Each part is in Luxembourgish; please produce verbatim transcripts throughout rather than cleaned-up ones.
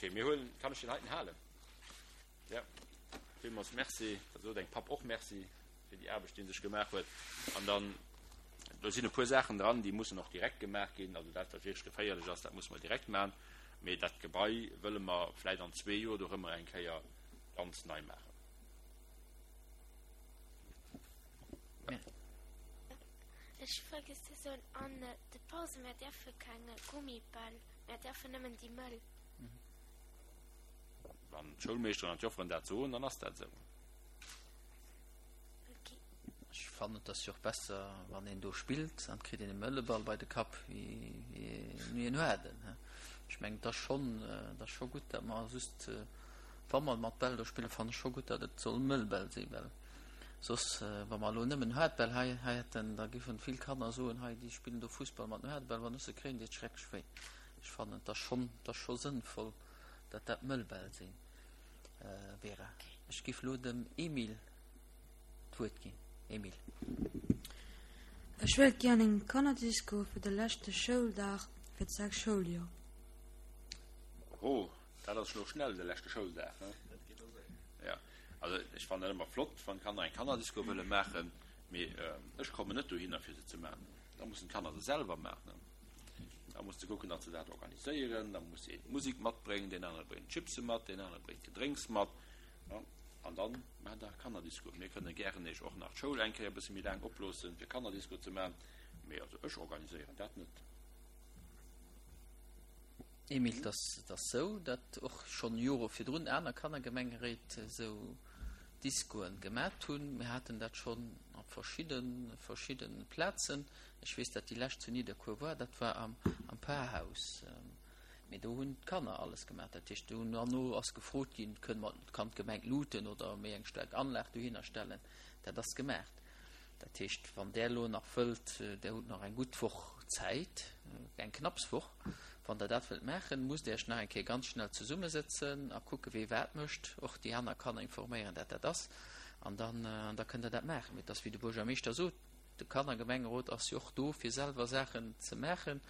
Ok, mir huelen, kann ech deen heiten halen? Ja, villmools Merci. Da sot engem Papp och Merci fir déi Aarbecht, déi en sech gemaach huet. An dann, do sinn e puer Saachen dran, déi mussen och direkt gemaach ginn. Also dat, wat wierklech geféierlech ass, dat musse mer direkt maachen. Mee dat Gebai wëlle mer vläicht an zwee Joer dorëmmer eng Kéier ganz nei maachen. Ech hu vergiess ze soen, an de Pausen, mär däerfe keng Gummibäll, mär däerfen nëmmen déi mëll. Wann d'Schoulmeeschteren an d'Jofferen dat soen, dann ass dat esou. Ech fannen et ass jo och besser wann een do spillt an et kritt een e mëlle Ball bei de Kapp wéi en haarden. Ech mengen et ass schonn, et ass scho gutt dat mer just wa mer mat Bäll do spillen, fannen ech scho gutt dat et soll mëll Bäll sinn, well soss wa mer elo nëmmen haart Bäll hei hätten, da giffen vill Kanner soen, hei déi spillen do Fussball mat den haarde Bäll, wann ech se kréien deet et schrecklech wéi. Ech fannen et ass schonn, et ass scho sënnvoll dat dat mëll Bäll sinn. Vera, ech giff lo dem Emile d'Wuert ginn. Emile. Ech wéilt gären eng Kannerdisco fir de leschte Schouldag fir d'sechst Schouljoer. Oho, dat ass lo schnell, de leschte Schouldag, he? Dat geet och séier. Jo, also ech fannen dat ëmmer flott, wann d'Kanner eng Kannerdisco wëlle maachen, mee ech kommen net dohinner fir se ze maachen. Da mussen d'Kanner se selwer maachen. Da muss se kucken, datt se dat organiséieren. Da muss een d'Musek matbréngen, deen anere bréngt d'Chipse mat, deen anere bréngt d'Gedrénks mat. An dann maacht Der Kannerdisco. Mir kënne gären Iech och nach d'Schoul eng Kéier e bësse méi laang oploossen, fir Kannerdisco ze maachen. Mee also ech organiséieren dat net. Emile, Et ass sou, datt och schonn Jore virdrun aner Kannergemengeréit esou Discoen gemat hunn. Mir haten dat schonn op verschidde verschidde Plazen. Ech weess, dat déi lescht zu Nidderkuer war, dat war am am Parhaus. Mee do hunn d'Kanner alles gemaach. Dat heescht, do hunn herno ass gefrot ginn, kënne mer, kann d'Gemeng d'Luuten oder méi eng staark Anlag dohinner stellen. Dat ass gemaach. Dat heescht, wann Der elo nach wëllt, Der hutt nach eng gutt Woch Zäit, eng knapps Woch, wann Der dat wëllt maachen, musst Der Iech nach eng Kéier ganz schnell zesummesëtzen a kucken, wee wat mécht, och déi aner Kanner informéieren, dat dat ass, an dann, da kënnt Der dat maachen. Mee et ass, wéi de Buergermeeschter sot, De Kannergemengerot ass jo och do, fir selwer Saachen ze maachen.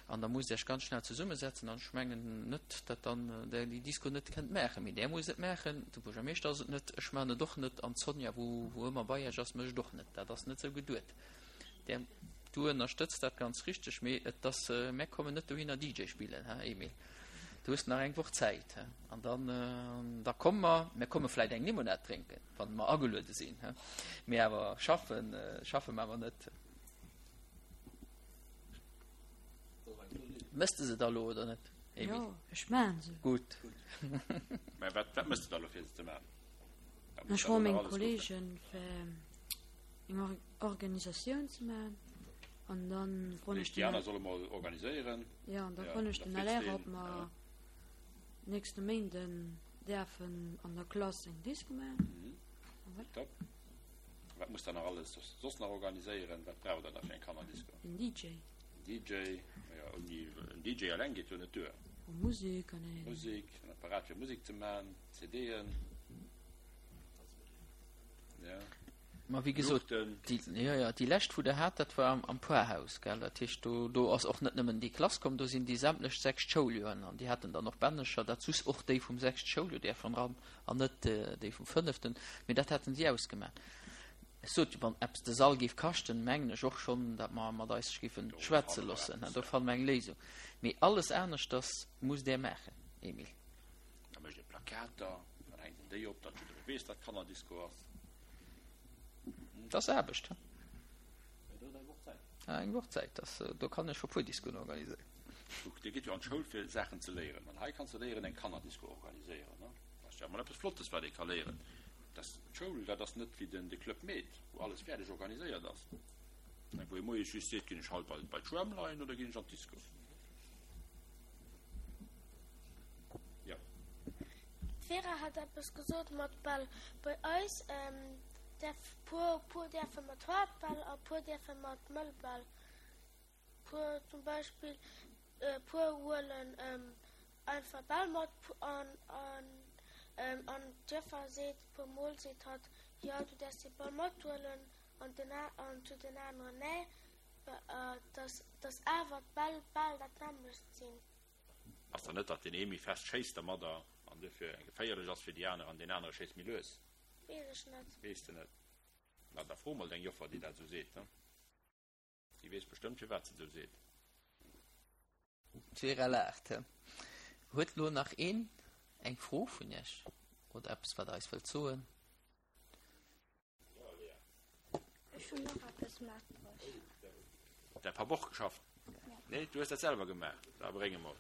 An da musst Der Iech ganz schnell zesummesetzen. An ech mengen net, datt dann Der déi Disco net kënnt maachen. Mee Der musst et maachen. De Buergermeeschter ass et net, ech maachen et och net an d'Sonja, wou wou ëmmer bei Iech ass, mécht et och net. Dat ass net esou geduet. Der, du ënnerstëtz dat ganz richteg, mee et ass, mär kommen net dohinner D J spillen, he Emile. Du hues nach eng Woch Zäit, he? An dann, da komme mer, mär komme vläit eng Limonad drénken, wann mer ageluede sinn, he? Mee awer schaffen, schaffe mer awer net. Mëss de se da lo oder net, Emile? Jo, ech maachen se. Gutt. Mä wat, wat mëss de da lo fir se ze maachen? Ech froe meng Kollegen fir eng Organisatioun ze maachen an dann froen ech den. Déi aner solle mol organiséieren. Jo, an da froen ech den L R ob mer nächste Méinden däerfen an der Klass eng Disco maachen. An voilà. Top. Wat musst der nach alles soss nach organiséieren? Wat braucht der da fir eng Kannerdisco? En D J. En D J, jo, ouni en D J eleng geet jo net duer. Musek an een. Musek, en Apparat fir Musek ze maachen, C D'en. Ja. Ma wéi gesot, déi, jo, jo, déi lescht, wou Der hat, dat war am, am Poarhaus, gell? Dat heescht, do, do ass och net nëmmen déi Klass komm, do sinn déi sämtlech sechst Schouljoren an déi haten dann och Bännecher, dat sus och déi vum sechste Schouljoer däerfen ran an net déi vum fënneften, mee dat haten si ausgemaach. Ech sot jo, wann eppes de Sall géif kaschten, mengen ech och schonn, dat mer mat eis géifen schwätze loossen, do fanne mer eng Léisung. Mee alles aneschters musst Der maachen, Emile. Da mécht ee Plakater, dann hänkt een déi op, datt jidderee weess, dat Kannerdisco ass. Dat ass Aarbecht, he? Ah, eng Woch Zäit, das, do kann ech scho puer Discoen organiséieren. Kuck, dir gitt jo an d'Schoul fir Saachen ze léieren, an hei kanns de léieren eng Kannerdisco organiséieren, ne? Dat ass jo emol eppes Flottes, wat ee ka léieren. Dat, d'Schoul, dat ass net wéi den, de Club Med, wou alles fäerdeg organiséiert ass, ne, wou ee moies just seet, Ginn ech haut bei, bei d'Schwämm leien oder ginn ech an d'Disco? Jo. D'Vera hat eppes gesot mat Bäll. Bei eis däerf puer puer däerfe mat Haardbäll a puer däerfe mat Mëllbäll. Puer zum Beispill puer huelen einfach Bäll mat an an an d'Joffer seet puer mol seet hatt jo du däerfs dee Ball mathuelen an den an zu den aneren nee, dass dass awer d'Bäll bal dat nämmlecht sinn. Ass dann net, datt deen ee méi fest schéisst dermadder an duerfir geféierlech ass fir déi aner an deen anere schéisst méi lues? Weess ech net. Weess de net? Na, da fro mol deng Joffer, déi dat esou seet, ne? Déi weess bestëmmt, firwat se et esou seet. D'Vera laacht. Huet lo nach een eng Fro vun iech oder eppes, wat der eis wëllt soen? Ech hunn och eppes matbruecht. Huet däi Papp och geschafft? Nee, du hues dat selwer gemaach? Da bréng emol.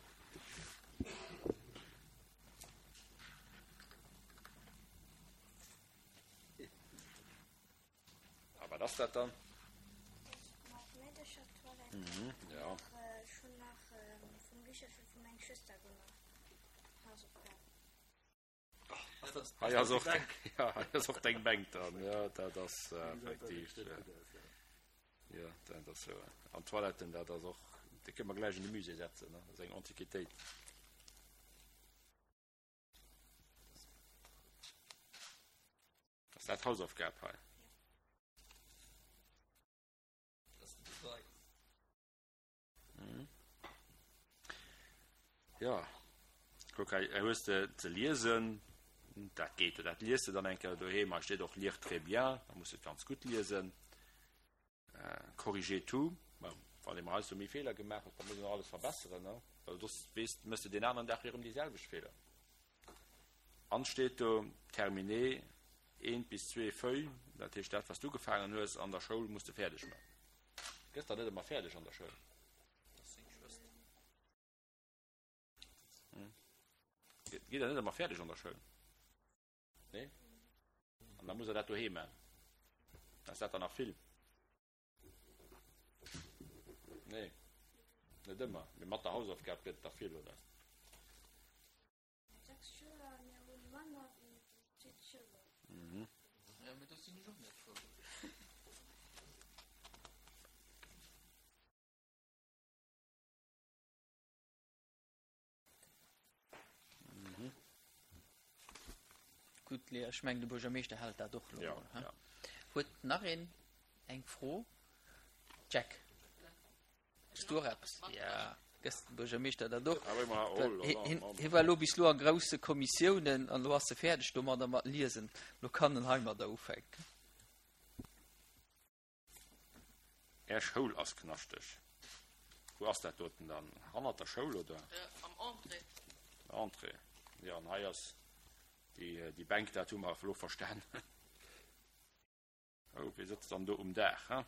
A wat ass dat dann? Mat Meederchertoilette. Mhm, ja. Ech hunn nach vum Bicherche vu meng Schwëster gemaach, Hausaufgaben. Hei ass och deng, ja, hei ass och deng Bänk dran. Ja, dat ass effektiv. Ja, dat ass jo. An d'Toiletten, dat ass och, déi kënne mer gläich an de Musée setzen, ne? Dat ass eng Antiquitéit. Ass dat d'Hausaufgab hei? Jo, kuck hei, hei hues de ze liesen, dat geet jo, dat lies de dann eng Kéier doheem. Hei steet och lire très bien, da muss de et ganz gutt liesen. Corriger tout, ma wann ee mol heiansdo méi Feeler gemaach huet, da muss een och alles verbesseren, ne? Well soss weess, méchs de deen aneren Dag erëm déi selwecht Feeler. An steet do terminer eent bis zwee Feuilles, dat heescht dat, wat s du ugefaangen hues an der Schoul, muss de fäerdeg maachen. Gëss der net ëmmer fäerdeg an der Schoul? Gitt der net ëmmer fäerdeg an der Schoul? Nee? An da muss der dat doheem maachen. Ass dat dann nach vill? Nee, net ëmmer. Mee mat der Hausaufgab gëtt et der vill, oder? Sechs Schüler, mir hu manner wéi siwe Schüler. Mhm. Ja, mee do sinn ech och net frou. Gutt, Léa, ech mengen, de Buergermeeschter hält dat och elo Ja, mol, he? ja. Huet nach een eng Fro? Jack, hues du och eppes? Ja, gëss dem Buergermeeschter dat och. Ah, wéi mer, oh la la, Hien Mann. hie war elo bis elo a grousse Kommissiounen an elo ass e fäerdeg domadder mat Liesen. Elo kann en heimadder ufänken. Är Schoul ass knaschteg. Wou ass dat doten dann? Hannert der Schoul, oder? Am Entrée. Entrée. Jo, an hei ass déi, déi Bänk, dat hu mer elo verstan. Oh, wie sëtzt dann do um Daach, he?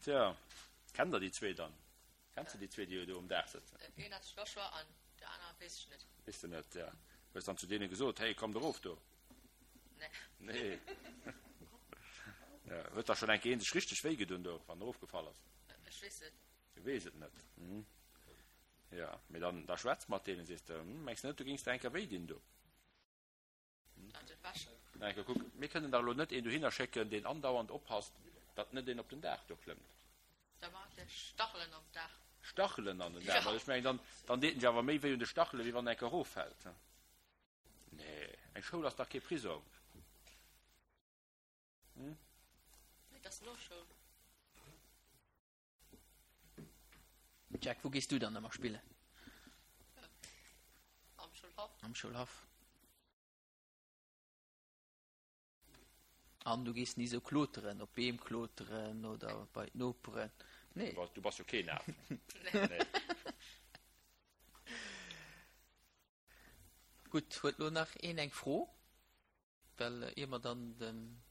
Tja, kennt der déi zwee dann? Kenns de déi zwee, déi do um Daach sëtzen? Een ass Joshua an de aner weess ech net. Weess de net, ja. Hues dann zu deene gesot, Hey, kommt erof do? Nee. Nee. Ja, huet da schonn eng Kéier een sech richteg wéi gedun do, wann en erofgefall ass? Ech weess et. Du weess et net. Hm. Ja, mee dann, da schwätz mat deenen, sees de, hm, mengs de net, du géings der eng Kéier wéi dinn do? Dat et wäschen. Eng Kéier kuck, mir kënnen dach elo net een dohinner schécken, deen andauernd oppasst, datt net een op den Daach do klëmmt. Da maacht e Stachelen am Daach. Stachelen an den Daach? Ja. Well ech mengen, dann, dann deet en sech awer méi wéi un de Stachelen, wéi wann en eng Kéier eroffält. Nee, eng Schoul ass dach kee Prisong. Hm? Nee, dat ass no Schoul. Jack, wou gees du dann ëmmer spillen? Am Schoulhaff. Am Schoulhaff. An du gees ni sou kloteren, op Beem kloteren oder bei d'Noperen? Nee. Du bass jo keen Af. Nee. Gutt, huet lo nach een eng Fro? Well ier mer dann dem.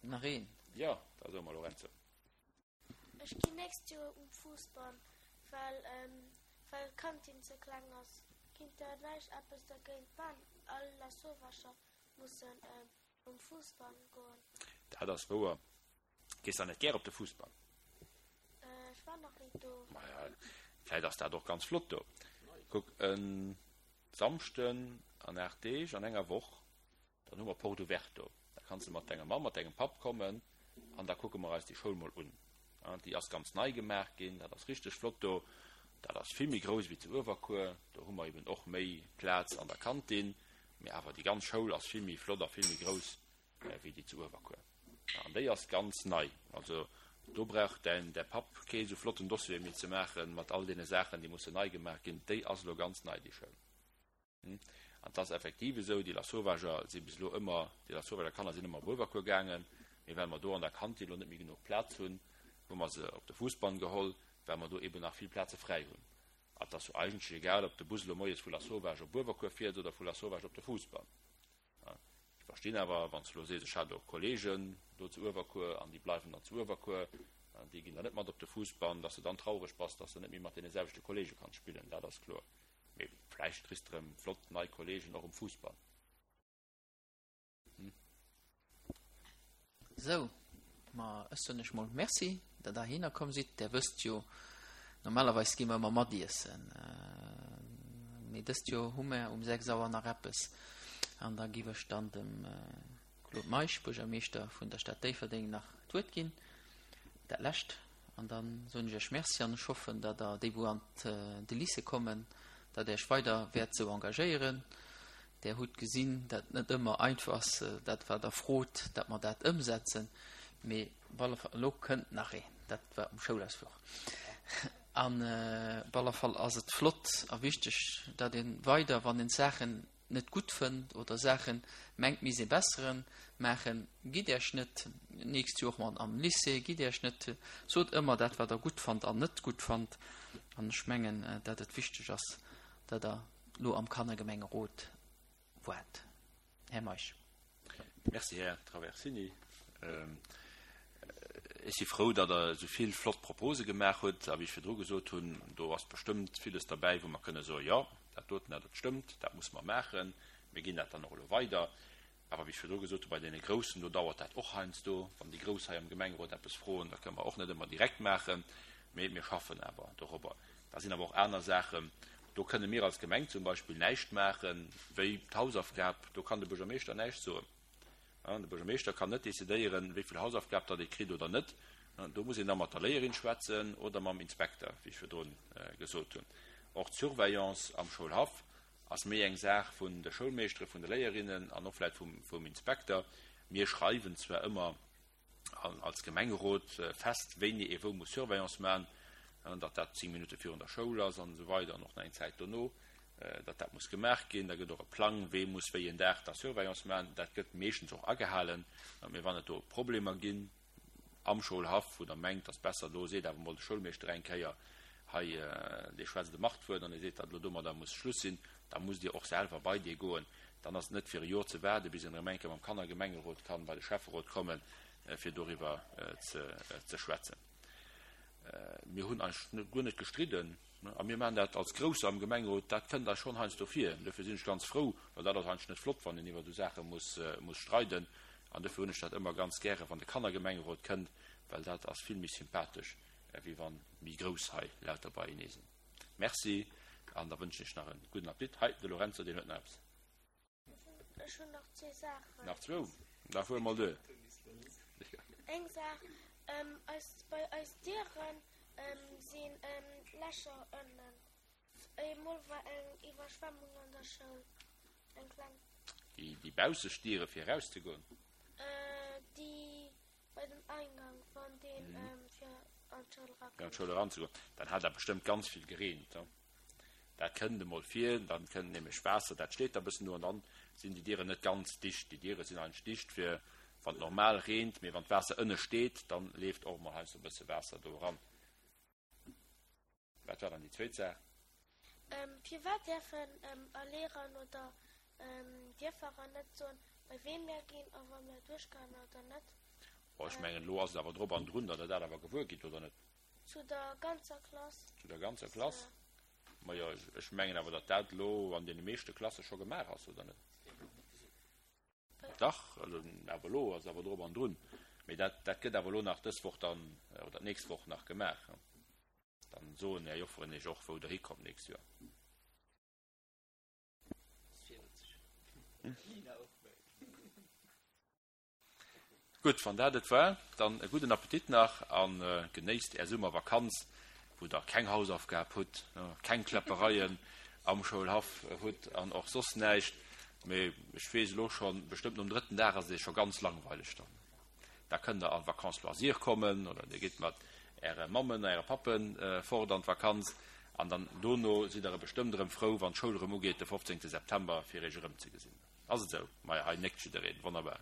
Nach een? Jo, da soe mer Lorenzo. Ech ginn nächst Joer um Fussball, well well d'Kantin ze kleng ass. Kinnt der näischt eppes dergéint man? All Lasauvescher mussen um Fussball goen. Dat ass wouer. Gees der net gär op de Fussball? Ech war nach ni do. Maja, vläit ass dat och ganz flott do. Kuck, e Samschden an aacht Deeg, an enger Woch, dann hu mer Porte ouverte do. Da kanns de mat denger Mamm, mat dengem Papp kommen an da kucke mer eis déi Schoul mol un. Déi ass ganz nei gemaach ginn, dat ass richteg flott do. Dat ass vill méi grouss wéi zu Uewerkuer. Do hu mer eben och méi Plaz an der Kantin. Mee awer déi ganz Schoul ass vill méi flott a vill méi grouss wéi déi zu Uewerkuer. An déi ass ganz nei. Also do brauch däin, däi Papp kee sou flotten Dossier méi ze maachen mat all deene Saachen, déi mussen nei gemaach ginn. Déi ass elo ganz nei, déi Schoul. An et ass effektiv esou, déi Lassauvager si bis elo ëmmer, déi Lassauvager Kanner sinn ëmmer op Uewerkuer gaangen, mee well mer do an der Kantin elo net méi genuch Plaz hunn, hu mer se op de Fousbann geholl, well mer do eben nach vill Plaze fräi hunn. A et ass jo eigentlech egal, ob de Bus elo moies vu Lasauvage op Uewerkuer fiert oder vu Lasauvage op de Fousbann. Ech verstinn awer, wann s de elo sees, ech hat och Kolleegen do zu Uewerkuer an déi bleiwen dann zu Uewerkuer, déi ginn dann net mat op de Fousbann, dass de dann traureg bass, dass de net méi mat deene selwechte Kolleege kanns spillen, dat ass kloer. Mee vläicht kriss de erëm flott nei Kolleegen och um Fousbann. Sou, ma ech soen iech mol Merci, datt der heihinner komm sidd. Der wësst jo, normalerweis gi mer ëmmer matiessen, mee dëst Joer hu mer um sechs Auer nach eppes. An da giff ech dann dem Claude Meisch, Buergermeeschter vun der Stad Déifferdeng, nach d'Wuert ginn, dat lescht. An da soen ech iech Merci an ech hoffen, datt der, déi wou an de Lycée kommen, datt der iech weider wäert esou engagéieren. Der hutt gesinn, datt et net ëmmer einfach ass, dat wat der frot, datt mer dat ëmsetzen. Mee op alle Fall, elo kënnt nach een, dat war um Schoulausfluch. An op alle Fall ass et flott a wichteg, datt ee weider, wann een Saachen net gutt fënnt oder Saachen mengt misst ee besseren maachen, gitt Iech net, nächst Joer mat am Lycée, gitt Iech net, sot ëmmer dat wat Der gutt fannt an net gutt fannt. An ech mengen, datt et wichteg ass, datt Der elo am Kannergemengerot waart. Här Meisch. Merci, Här Traversini. Ech si frou, datt Der esou vill flott Propose gemaach hutt. A wéi ech virdru gesot hunn, do ass bestëmmt villes derbäi, wou mer kënne soen, Jo, dat doten, dat stëmmt, dat musse mer maachen. Mir ginn dat dann och elo weider. Awer wéi ech virdru gesot hunn, bei deene Groussen, do dauert dat och heiansdo. Wann déi Grouss hei am Gemengerot eppes froen, da kënne mer och net ëmmer direkt maachen. Mee mir schaffen awer dorobber. Da sinn awer och aner Saachen, do kënne mir als Gemeng zum Beispill näischt maachen, wéi d'Hausaufgab, do kann de Buergermeeschter näischt soen. De Buergermeeschter kann net decidéieren, wéi vill Hausaufgab datt ee kritt oder net. Do muss een da mat der Léierin schwätzen oder mam Inspekter, wéi ech virdrun gesot hunn. Och d'Surveillance am Schoulhaff ass méi eng Saach vun de Schoulmeeschtere, vun de Léierinnen an och vläicht vum Inspekter. Mir schreiwen zwar ëmmer als Gemengerot fest, wéini ee wou muss Surveillance maachen, datt dat zéng Minutte virun der Schoul ass an esou weider an och nach eng Zäit dono, datt dat muss gemaach ginn. Da gëtt och e Plang, wee muss wéi en Dag da Surveillance maachen. Dat gëtt meeschtens och agehalen. Mee wann et do Problemer ginn am Schoulhaff, wou Der mengt, dass besser, do seet awer emol de Schoulmeeschter eng Kéier, hei, dee schwätzt e Machtwuert an dee seet, datt elo domadder muss Schluss sinn, da musst Dir och selwer bei dee goen. Dann ass et net fir e Jor ze waarden, bis een erëm eng Kéier mam Kannergemengerot kann bei de Schäfferot kommen, fir doriwwer ze schwätzen. Mir hunn eis guer net gestridden a mir maachen dat als Grousser am Gemengerot, dat kënnt eis schonn heiansdo vir. Dofir sinn ech ganz frou, well dat ass eigentlech net flott, wann een iwwer esou Saache muss streiden. An dofir hunn ech dat ëmmer ganz gäre wann de Kannergemengerot kënnt, well dat ass vill méi sympathesch, wéi wann méi Grouss hei lauter beienee sinn. Merci an da wënschen ech nach e gudden Appetit. Hei, de Lorenzo, deen huet nach eppes. Ech hunn nach zwee Saachen. Nach zwou? Da fuere mol duer. Eng Saach, eis, bei eis Dieren sinn Lächer ënnen. Eemol war eng Iwwerschwemmung an der Schoul, eng kleng. Déi, déi baussescht Diere fir erauszegoen? Déi bei dem Eingang, wann deen fir an d'Schoul erakoum. Fir an d'Schoul eranzegoen. Dann hat dat bestëmmt ganz vill gereent. Dat kënnt emol vir, dann kënnt nämlech Waasser, dat steet da bëssen do an dann sinn déi Dieren net ganz dicht. Déi Diere sinn eigentlech dicht fir wann et normal reent, mee wann d'Waasser ënne steet, dann leeft och emol heiansdo e bësse Waasser do eran. Wat war dann déi zweet Saach? Firwat däerfen Erlehrern oder Dierferer net soen, bei ween mär ginn a wa mär duerchgaen oder net? Oh, ech mengen, elo ass et awer drop an drun, datt Der dat awer gewuer gitt, oder net? Zu der ganzer Klass. Zu der ganzer Klass? Majo, ech mengen awer, datt dat elo an deene meeschte Klasse scho gemaach ass, oder net? Dach, awer elo ass awer drop an drun. Mee dat, dat gëtt awer elo nach dës Woch dann, oder d'nächst Woch nach gemaach. Dann soen Är Jofferen Iech och, wou Der hikommt d'nächst Joer. Gutt, wann dat et war, dann e gudden Appetit nach a genéisst Är Summervakanz, wou Der keng Hausaufgab hutt, keng Kläppereien am Schoulhaff hutt an och soss näischt. Mee ech weess elo schonn, bestëmmt nom drëtten Dag ass et iech scho ganz langweileg dann. Da kënnt der an d'Vacances loisirs kommen oder dir gitt mat äre Mammen a äre Pappe fort an d'Vakanz an dann dono sidd der bestëmmt erëm frou, wann d'Schoul erëm ugeet de fofzéngte September, fir iech erëmzegesinn. Ass et esou? Maja, hei néckt jiddereen. Wonnerbar.